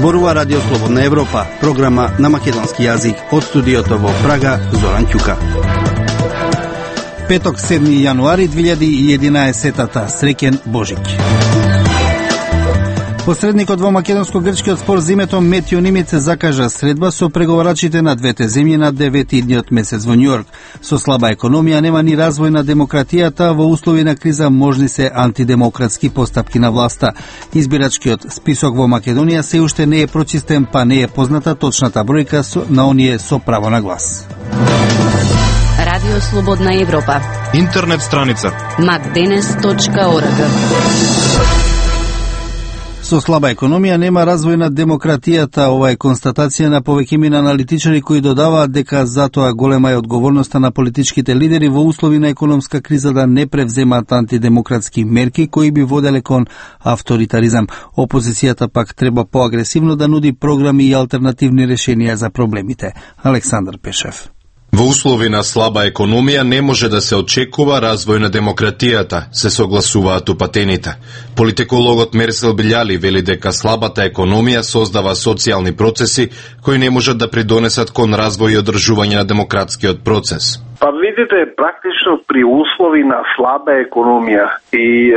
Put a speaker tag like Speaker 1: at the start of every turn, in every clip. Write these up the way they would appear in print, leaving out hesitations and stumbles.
Speaker 1: Зборува Радио Слободна Европа, програма на македонски јазик од студиото во Прага, Зоран Ќука. Петок, 7 јануари 2011, среќен Божик. Посредникот во македонско-грчкиот спор за името Метјо Нимиц закажа средба со преговарачите на двете земји на 9-идниот месец во Њујорк. Со слаба економија нема ни развој на демократијата, во услови на криза можни се антидемократски постапки на власта. Избирачкиот список во Македонија се уште не е прочистен, па не е позната точната бројка на оние со право на глас.
Speaker 2: Радио Слободна Европа.
Speaker 3: Интернет страница
Speaker 2: macdenes.org.
Speaker 1: Со слаба економија нема развој на демократијата. Ова е констатација на повеќемина аналитичари кои додаваат дека затоа голема е одговорноста на политичките лидери во услови на економска криза да не превземаат антидемократски мерки кои би воделе кон авторитаризам. Опозицијата пак треба поагресивно да нуди програми и алтернативни решенија за проблемите. Александар Пешев.
Speaker 3: Во услови на слаба економија не може да се очекува развој на демократијата, се согласуваат упатените. Политикологот Мерсел Билјали вели дека слабата економија создава социјални процеси кои не можат да придонесат кон развој и одржување на демократскиот процес.
Speaker 4: Па видите, практично при услови на слаба економија и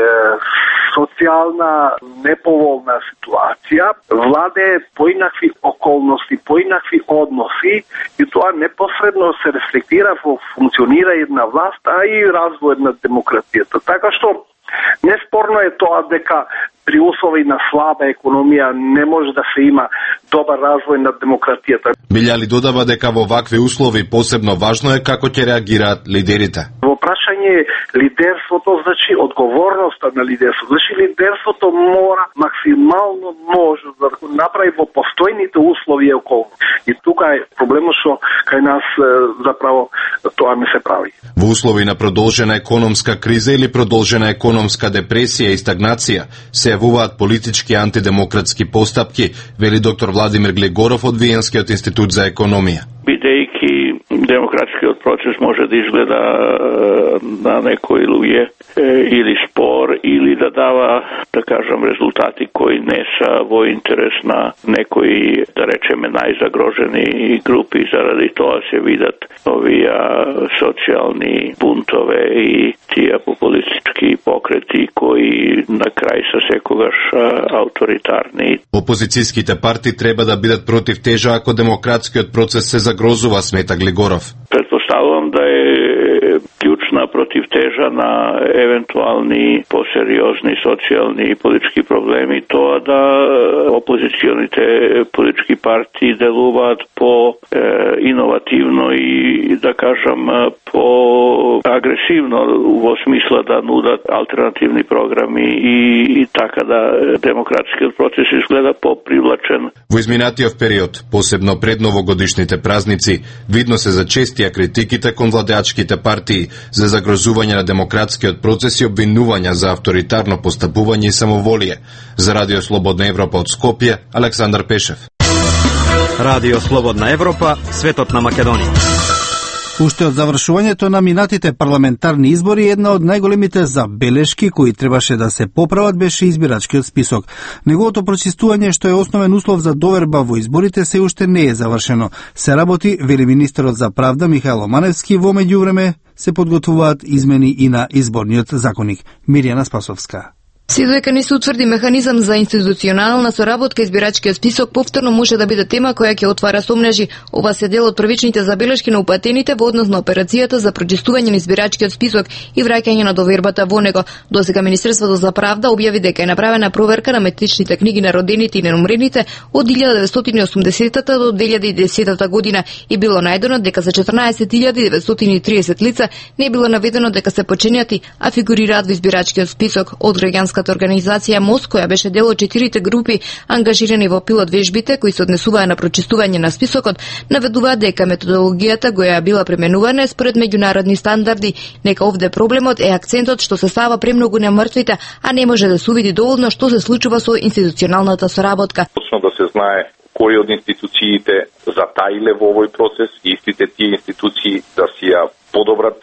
Speaker 4: социјална неповолна ситуација, владе поинакви околности, поинакви односи и тоа непосредно се рефлектира во функционирање на власт, а и развој на демократијата. Така што неспорно е тоа дека при услови на слаба економија не може да се има добар развој на демократијата.
Speaker 3: Билјали додава дека во вакви услови посебно важно е како ќе реагираат лидерите.
Speaker 4: Во прашање лидерството, значи одговорноста на лидерството. Значи лидерството мора максимално можно да го направи во постојните услови и околности. И тука е проблемот што кај нас заправо тоа не се прави.
Speaker 3: Во услови на продолжена економска криза или продолжена економска депресија и стагнација се јавуваат политички антидемократски постапки, вели доктор Владимир Глегоров од Виенскиот институт за економија.
Speaker 5: Бидејќи демократскиот процес може да изгледа на некои луѓе или спор, или да дава, да кажам, резултати кои не са во интерес на некои, да речеме, најзагрожени групи, заради тоа се видат овие социјални бунтове и тие популистички покрети кои на крај се секогаш авторитарни.
Speaker 3: Опозицијските партии треба да бидат против тежа ако демократскиот процес се загрозува, смета Глегоров.
Speaker 5: Предпоставувам да е клучна противтежа на евентуални посериозни социјални и политички проблеми тоа да опозиционите политички партии делуваат по иновативно и, да кажам, по агресивно во смисла да нудат алтернативни програми и така да демократскиот процес изгледа попривлачен.
Speaker 3: Во изминатиот период, посебно пред новогодишните празници, видно се зачестија критиките кон владеачките партии за загрозување на демократскиот процес и обвинувања за авторитарно постапување и самоволие. За Радио Слободна Европа од Скопје, Александар Пешев.
Speaker 6: Радио Слободна Европа, светот на Македонија.
Speaker 1: Уште од завршувањето на минатите парламентарни избори, една од најголемите забелешки кои требаше да се поправат беше избирачкиот список. Неговото прочистување, што е основен услов за доверба во изборите, се уште не е завршено. Се работи, вели министерот за правда Михајло Маневски, во меѓувреме се подготвуваат измени и на изборниот законник. Мирјана Спасовска.
Speaker 7: Се додека не се утврди механизам за институционална соработка, избирачкиот список повторно може да биде тема која ќе отвара сомнежи. Ова се дел од првичните забелешки на упатените во однос на операцијата за прочистување на избирачкиот список и враќање на довербата во него. Досега Министерството за правда објави дека е направена проверка на метричните книги на родените и ненумрените од 1980 до 2010 година и било најдено дека за 14.930 лица не било наведено дека се починети, а фигурираат во избирачкиот список. Од граѓанската организација МОС, која беше дел од 4 групи ангажирани во пилот вежбите кои се однесуваа на прочистување на списокот, наведуваат дека методологијата која била применувана е според меѓународни стандарди. Нека овде проблемот е акцентот што се става премногу на мртвите, а не може да се увиди доволно што се случува со институционалната соработка.
Speaker 8: Точно да се знае кои од институциите затаиле во овој процес и истите тие институции да си ја подобрат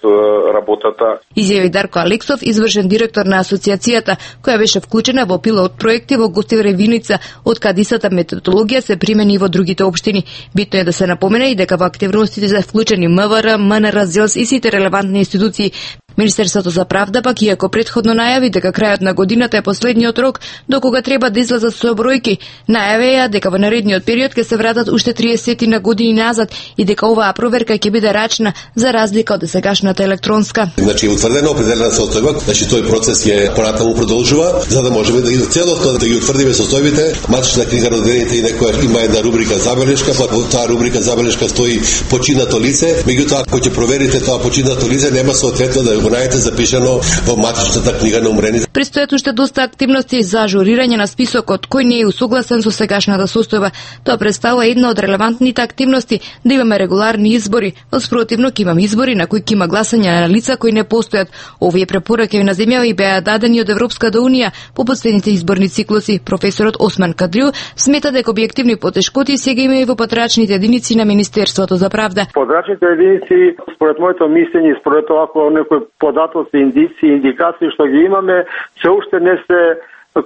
Speaker 8: работата.
Speaker 7: Изјави Дарко Алексов, извршен директор на асоциацијата, која беше вклучена во пилот проекти во Гостиваре Виница, од кадисата методологија се примени и во другите општини. Битно е да се напомене и дека во активностите се вклучени МВР, МНР, ЗЕЛС и сите релевантни институции. Министерството за правда пак, иако претходно најави дека крајот на годината е последниот рок до кога треба да излезат со бројки, најавија дека во наредниот период ќе се вратат уште 30 на години назад и дека оваа проверка ќе биде рачна за разлика од сегашната електронска.
Speaker 9: Значи утврдено определена состојба, значи тој процес е понатаму продолжува, за да можеме да ги целосно да ги утврдиме состојбите. Матична книга родените и некоја има една рубрика забелешка, па во таа рубрика забелешка стои починато лице, меѓутоа ако ќе проверите тоа починато лице нема соодветно да го најдете запишано во матичната книга на умрените.
Speaker 7: Престојат уште доста активности за ажурирање на списокот кој не е усогласен со сегашната состојба. Тоа представува една од релевантните активности да имаме регуларни избори. Во спротивно ќе имаме избори на кои ќе има гласање на лица кои не постојат. Овие препораки на земја и беа дадени од Европската унија по последните изборни циклуси. Професорот Осман Кадрил смета дека објективни потешкоти сега има и во патрачните единици на Министерството за правда.
Speaker 10: Подрачните единици, според моето мислење, според тоа ако некои податоци, индици, индикации што ги имаме, се уште не се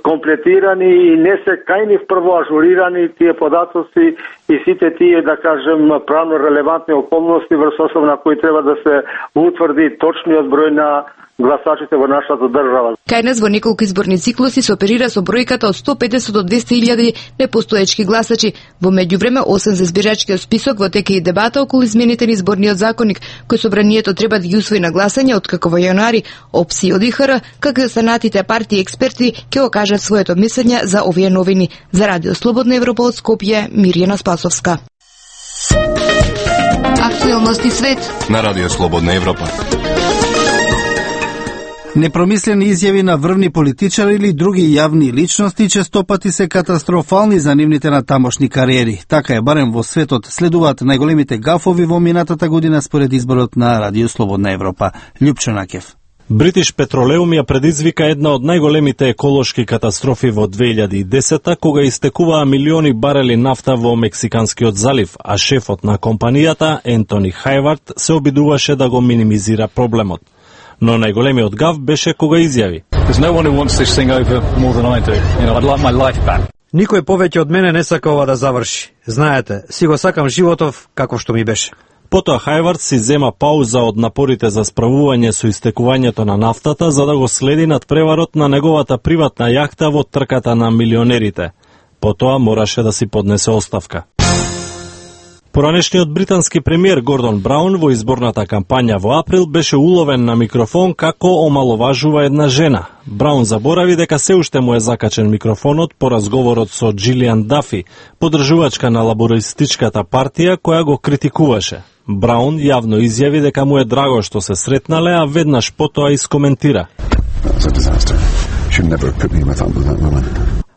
Speaker 10: комплетирани и не се кајни прво ажурирани тие податоци и сите тие, да кажем, правно релевантни околности врз основа на кои треба да се утврди точниот број на гласачите во нашата држава.
Speaker 7: Кај нас во неколку изборни циклуси се оперира со бројката од 150 до 200.000 непостоечки гласачи. Во меѓувреме, освен за избирачкиот список, во тека и дебата околу измените на изборниот законник, кој собранието треба да ги усвои на гласање откако во јануари, ОПСИ од ИХР, како и останатите партии и експерти ќе го кажат своето мислење за овие новини. За Радио Слободна Европа од Скопје, Мирјана Спасовска. Актуелности свет
Speaker 3: на Радио Слободна Европа.
Speaker 1: Непромислени изјави на врвни политичари или други јавни личности честопати се катастрофални за нивните натамошни кариери. Така е барем во светот, следуваат најголемите гафови во минатата година според изборот на Радио Слободна Европа. Љупчо Накев.
Speaker 11: Бритиш Петролеум ја предизвика една од најголемите еколошки катастрофи во 2010 кога истекуваа милиони барели нафта во Мексиканскиот залив, а шефот на компанијата, Ентони Хајвард, се обидуваше да го минимизира проблемот. Но најголемиот гаф беше кога изјави:
Speaker 6: Никој повеќе од мене не сака ова да заврши. Знаете, си го сакам животов како што ми беше.
Speaker 11: Потоа Хајвард си зема пауза од напорите за справување со истекувањето на нафтата за да го следи над преварот на неговата приватна јахта во трката на милионерите. Потоа мораше да си поднесе оставка. Поранешниот британски премиер Гордон Браун во изборната кампања во април беше уловен на микрофон како омаловажува една жена. Браун заборави дека се уште му е закачен микрофонот по разговорот со Джилијан Дафи, поддржувачка на лабористичката партија која го критикуваше. Браун јавно изјави дека му е драго што се сретнале, а веднаш потоа искоментира: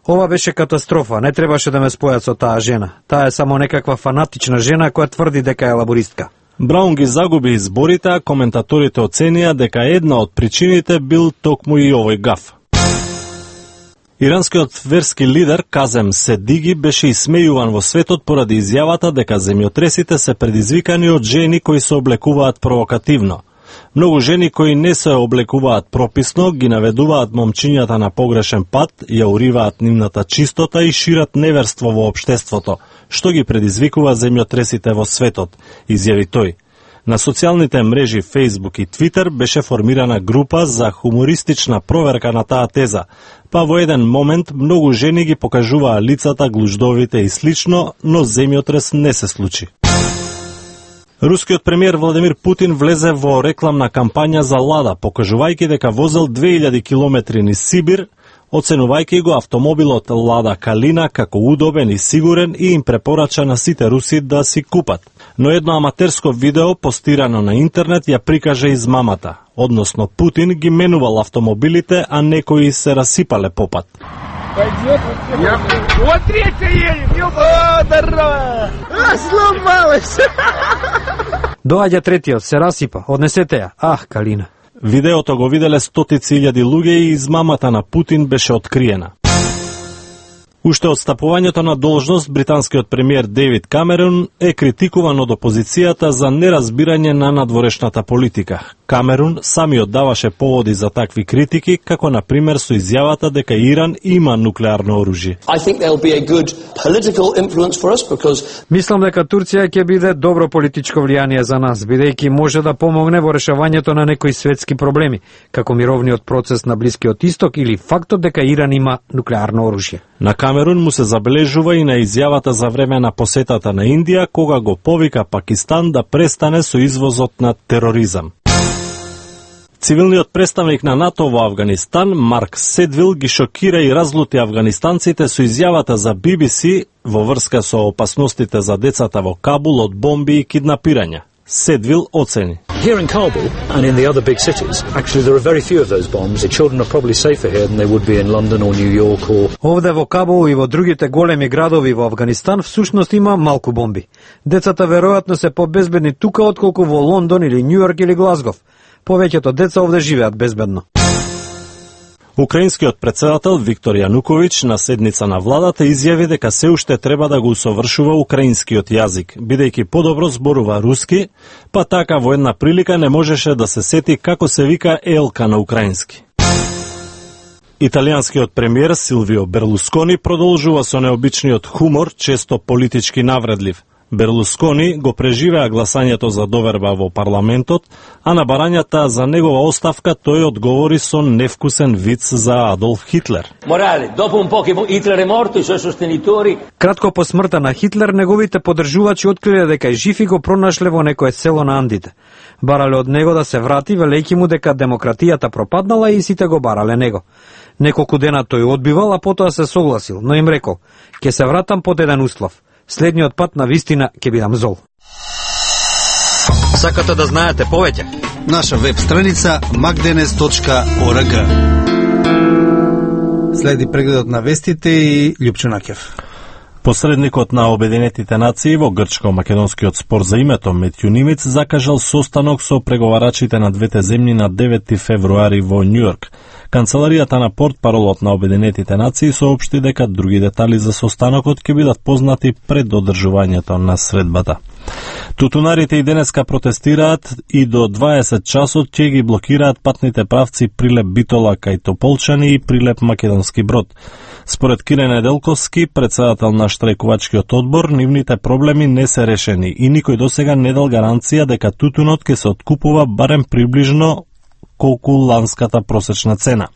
Speaker 6: Ова беше катастрофа, не требаше да ме спојат со таа жена. Таа е само некаква фанатична жена која тврди дека е лабористка.
Speaker 11: Браун ги загуби изборите, а коментаторите оценија дека една од причините бил токму и овој гаф. Иранскиот верски лидер Казем Седиги беше исмејуван во светот поради изјавата дека земјотресите се предизвикани од жени кои се облекуваат провокативно. Многу жени кои не се облекуваат прописно ги наведуваат момчињата на погрешен пат, ја уриваат нивната чистота и шират неверство во општеството, што ги предизвикува земјотресите во светот, изјави тој. На социјалните мрежи Facebook и Twitter беше формирана група за хумористична проверка на таа теза, па во еден момент многу жени ги покажуваа лицата, глуждовите и слично, но земјотрес не се случи. Рускиот премиер Владимир Путин влезе во рекламна кампања за Лада, покажувајќи дека возел 2000 километри низ Сибир, оценувајќи го автомобилот Лада Калина како удобен и сигурен и им препорача на сите руси да си купат. Но едно аматерско видео постирано на интернет ја прикаже измамата, односно Путин ги менувал автомобилите, а некои се расипале по пат.
Speaker 12: Вот третья едем, здорово! Сломалась!
Speaker 6: Доаѓа третиот, се расипа, однесете ја. Ах, Калина.
Speaker 11: Видеото го виделе стотици илјади луѓе и измамата на Путин беше откриена. Уште од стапувањето на должност, британскиот премиер Дейвид Камерун е критикуван од опозицијата за неразбирање на надворешната политика. Камерун самиот даваше поводи за такви критики, како на пример со изјавата дека Иран има нуклеарно оружје.
Speaker 6: Мислам дека Турција ќе биде добро политичко влијание за нас, бидејќи може да помогне во решавањето на некои светски проблеми, како мировниот процес на Блискиот Исток или фактот дека Иран има нуклеарно оружје.
Speaker 11: На Камерун му се забележува и на изјавата за време на посетата на Индија, кога го повика Пакистан да престане со извозот на тероризам. Цивилниот представник на НАТО во Авганистан, Марк Седвил, ги шокира и разлути афганистанците со изјавата за BBC во врска со опасностите за децата во Кабул од бомби и киднапирања. Седвил оцени:
Speaker 13: Here in Kabul and in the other big cities, actually there are very few of those bombs. The children are probably safer here than they would be in London or New York or...
Speaker 6: Овде во Кабул и во другите големи градови во Афганистан всушност има малку бомби. Децата веројатно се побезбедни тука отколку во Лондон или Њујорк или Глазгов. Повеќето деца овде живеат безбедно.
Speaker 11: Украинскиот председател Виктор Јануковиќ на седница на владата изјави дека се уште треба да го усовршува украинскиот јазик, бидејќи подобро зборува руски, па така во една прилика не можеше да се сети како се вика елка на украински. Италијанскиот премиер Силвио Берлускони продолжува со необичниот хумор, често политички навредлив. Берлускони го преживеа гласањето за доверба во парламентот, а на барањата за негова оставка тој одговори со невкусен виц за Адолф Хитлер.
Speaker 6: Кратко по смртта на Хитлер, неговите поддржувачи откриле дека е жив и го пронашле во некое село на Андите. Барале од него да се врати, велејќи му дека демократијата пропаднала и сите го барале него. Неколку дена тој одбивал, а потоа се согласил, но им рекол: "Ќе се вратам под еден услов. Следниот пат на вистина ќе бидам зол."
Speaker 14: Сакате да знаете повеќе?
Speaker 1: Наша веб страница magdenes.org. Следи прегледот на вестите и Љупчо Накев.
Speaker 11: Посредникот на Обединетите нации во грчко-македонскиот спор за името Метју Нимиц закажал состанок со преговарачите на двете земји на 9 февруари во Њујорк. Канцеларијата на портпаролот на Обединетите нации соопшти дека други детали за состанокот ќе бидат познати пред одржувањето на средбата. Тутунарите и денеска протестираат и до 20 часот ќе ги блокираат патните правци Прилеп Битола кај Тополчани и Прилеп Македонски Брод. Според Кире Неделковски, председател на штрајкувачкиот одбор, нивните проблеми не се решени и никој досега не дал гаранција дека тутунот ќе се откупува барем приближно колку ланската просечна цена.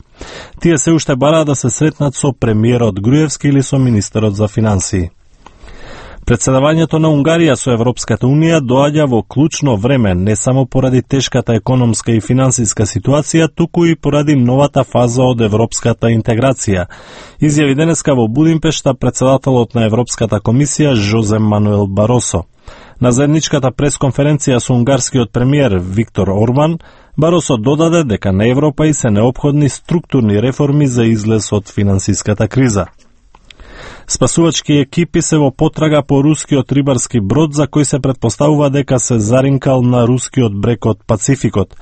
Speaker 11: Тие се уште бараат да се сретнат со премиерот Груевски или со министерот за финансии. Председавањето на Унгарија со Европската Унија доаѓа во клучно време, не само поради тешката економска и финансиска ситуација, туку и поради новата фаза од европската интеграција. Изјави денеска во Будимпешта председателот на Европската комисија Жозе Мануел Баросо. На заедничката пресконференција со унгарскиот премиер Виктор Орбан, Баросо додаде дека на Европа и се неопходни структурни реформи за излез од финансиската криза. Спасувачки екипи се во потрага по рускиот рибарски брод за кој се претпоставува дека се заринкал на рускиот брег од Пацификот.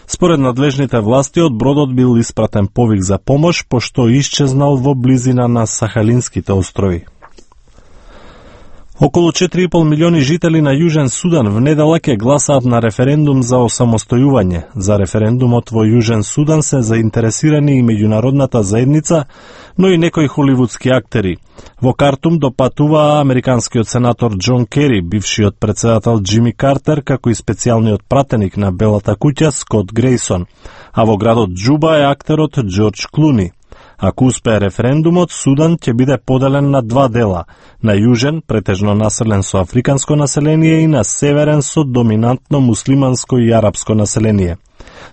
Speaker 11: Според надлежните власти, од бродот бил испратен повик за помош, пошто исчезнал во близина на Сахалинските острови. Околу 4,5 милиони жители на Јужен Судан в недела ќе гласаат на референдум за осамостојување. За референдумот во Јужен Судан се заинтересирани и меѓународната заедница, но и некои холивудски актери. Во Картум допатуваа американскиот сенатор Џон Кери, бившиот председател Џими Картер, како и специјалниот пратеник на Белата куќа Скот Грейсон, а во градот Џуба е актерот Џорџ Клуни. Ако успее референдумот, Судан ќе биде поделен на два дела, на јужен, претежно населен со африканско население и на северен со доминантно муслиманско и арапско население.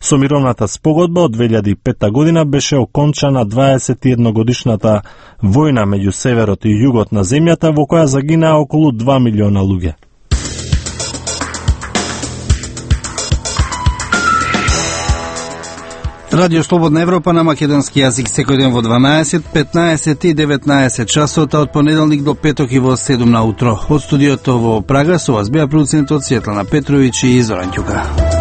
Speaker 11: Со мировната спогодба од 2005 година беше окончана 21 годишната војна меѓу северот и југот на земјата, во која загинаа околу 2 милиона луѓе.
Speaker 1: Радио Слободна Европа на македонски јазик секој ден во 12, 15 и 19 часот, од понеделник до петок и во 7 на утро. Од студиото во Прага со вас беа продуцентот Светлана Петровиќ и Зоран Ќука.